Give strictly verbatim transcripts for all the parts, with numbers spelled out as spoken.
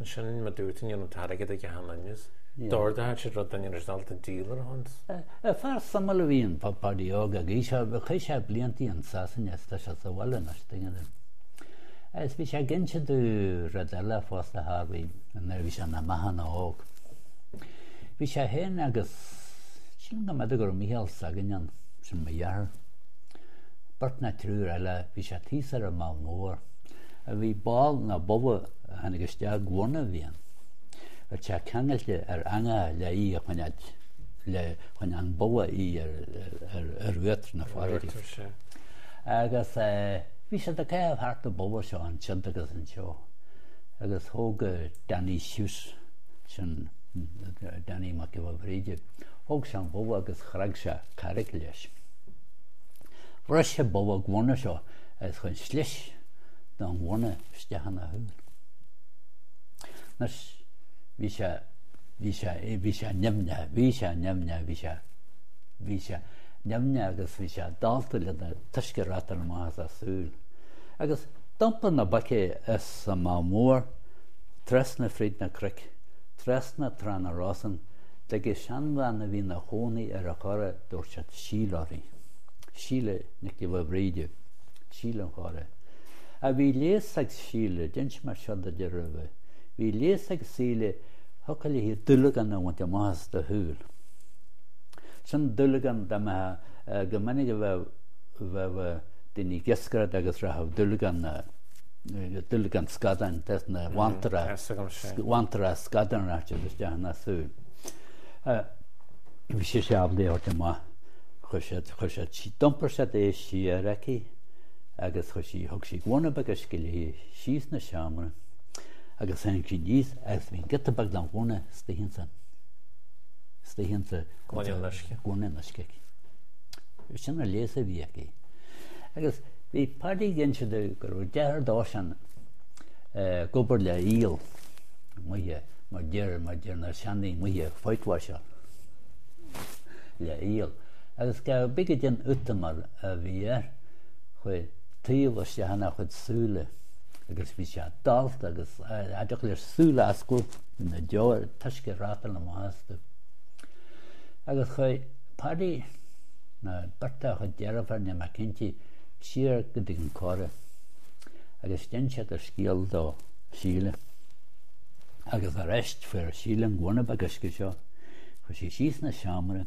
Sin ma dúirt an t-airgead ag cheana. D'ordaigh siad rud duine ar dul díol ar hons. Fear suimiúil a bhí in Paddy Óg agus chaith sé blianta in Sasana tá sé sa bhaile anois tuigeann tú. Agus bhí sé ag inse domh rud eile fosta Harvey nuair a bhí sé ina meáchan óg. Bhí sé féin agus sílim go mb'fhéidir go raibh Mícheál s'againn ann, sin mo dheartháir. Beirt nó triúr eile, bhí sé thíos ar an Meall Mór. A bhí ball nó bogha a tháinig isteach guana a bhí ann. Bhí sé ceangailte ar eangach le í a choinneáil le chun an bogha í ar, ar, ar uachtar na farraige. Agus bhí siad ag caitheamh thart an bogha seo ansiúd agus anseo. Agus thóg Danny Shute sin Danny Mac Giolla Bhríde, thóg sé an bogha agus chreag sé carraig leis. Bhris sé bogha guana seo agus chuir slis don ghuana isteach ina shúil. Anois bhí sé bhí sé bhí sé nimhneach, bhí sé nimhneach, bhí sé bhí sé nimhneach agus bhí sé dallta le an t-uisce ag reachtáil amach as a súil. Agus d'iompaigh na boic as an Meall Mór trasna fríd na cnoic, trasna Trá na Rosann, tigh seanbhean a bhí ina chónaí ar an Chora, dúirt siad Síle uirthi. Síle Nic Giolla Bhríde, Síle an Chora. A bhí leigheas ag Síle, d'inis mé seo duit roimhe, bhí leigheas ag Síle thiocfadh léi dúlagán a bhaint amach as do shúil. Sin dúlagán dá mbeadh go minic a bheadh bheadh daoine ag iascaireacht agus rachadh dúlagán dúlagán scadáin des na bhantra bhantra scadán rachadh siad isteach ina súil. Bhí sé sé ábalta é a thabhairt amach. Chuir siad chuir siad d'iompair siad é siar aici agus chuir sí thug sí gloine beag uisce léi síos na seomra agus tháinig sí aníos agus bhí an giota beag den ghunna istigh insan istigh insa Gloine an uisce. Gloine an uisce aici. Sin an leigheas a bhí aici. Agus bhí Paddy ag inse domh go raibh deartháir dósan ag obair le aol amuigh mar deir mar deir na seandaoine amuigh whitewasher le aol. Agus go big a den útamar a bhí air chuaigh taobh isteach ina chuid súile agus bhí sé dallta agus cha dtiocfadh leis súil a oscailt bhí na deora an t-uisce ag reachtáil amach astu. Agus chuaigh Paddy nó beirt dá chuid deirfiúr níl mé cinnte siar go dtí an Cora agus d'inis siad an scéal do Síle. Agus arís fuair Síle an gloine beag uisce seo, chuir sí síos ina seomra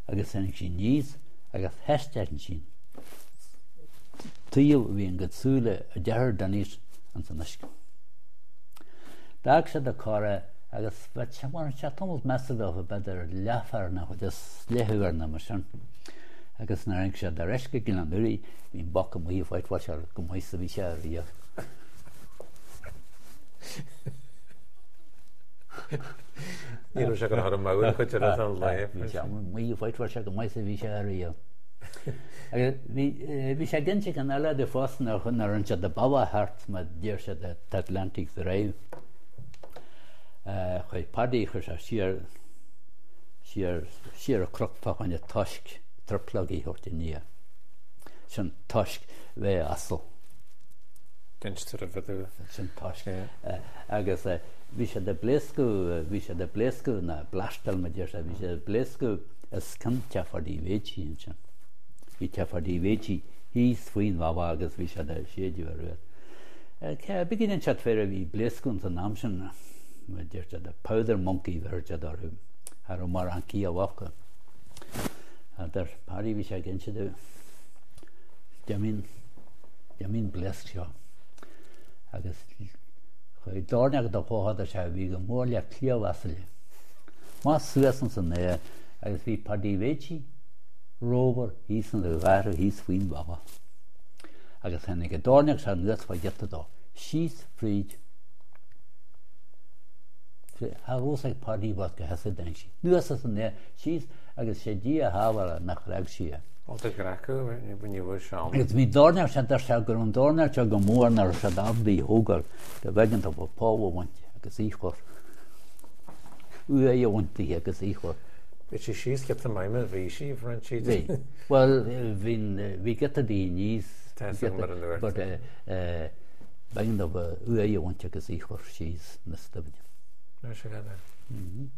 agus tháinig sí aníos agus thaispeáin sí taobh a bhí an gcuid súile a deartháir Denis ins an uisce. D'fhág siad an Cora agus bheadh sé bhain sé tamall measartha dóibh b'fhéidir leathuair nó chuid is leathuair nó mar sin. Agus nuair a tháinig siad ar ais go Gleann Úraí bhí an boc amuigh ag whitewasher go maith is a bhí sé ariamh. Ní raibh sé go raibh maith chuid ar an lae. Bhí sé amuigh ag whitewasher go maith is a bhí sé ariamh. Agus bhí bhí sé ag inse ceann eile domh fosta nuair a rinne siad an bealach thart mar deir siad an Atlantic Drive. Chuaigh Paddy chuir sé siar siar siar an cnoc fá choinne toisc triplógaí a thabhairt aniar. Sin toisc bheith asal. D'inis tú roimhe domh. Sin toisc. Agus bhí siad ag pléascadh bhí siad ag pléascadh nó blastáil mar deir siad bhí siad ag pléascadh os cionn teach Pháidí Mhéití ansin. Bhí teach Pháidí Mhéití thíos faoin bhealach agus bhí siad ag séideadh ar uait. Cé bith go siad féar a bhí pléascadh ins an am sin mar deir siad powder monkey bheir siad orthu. Cha raibh mórán ciall acu. Deir Paddy bhí sé ag inse domh d'imigh d'imigh an bpléasc seo agus chuaigh doirneach de bhóthar sé a bhí go mór le cliabh asail. Amach suas ins an aer agus bhí Paddy Mhéití rómhar thíos ina gharradh thíos faoin bhealach. Agus tháinig an doirneach seo anuas fá ghiota dó, síos fríd Cha raibh fhios ag Paddy bhás go heasa dtáinig sí anuas as an aer síos agus sé Dia a shábháil nach dhreag sí é. Ó do dhreacadh ní bhfuair sé ann. Agus bhí doirneach sé deir sé go raibh an doirneach seo go mór nach raibh siad ábalta í a thógáil go b'éigean dóibh poll a bhaint agus í chur. Uaigh a bhaint di agus í chur. Bhí sí síos giota maith mar bhí sí, bhronn sí Bhí. Bhuel bhí bhí giota di aníos. Tá a fhios agam mar a ndúirt But eh, eh, B'éigean dóibh uaigh a bhaint agus í a chur síos na stuimine. Mar sin.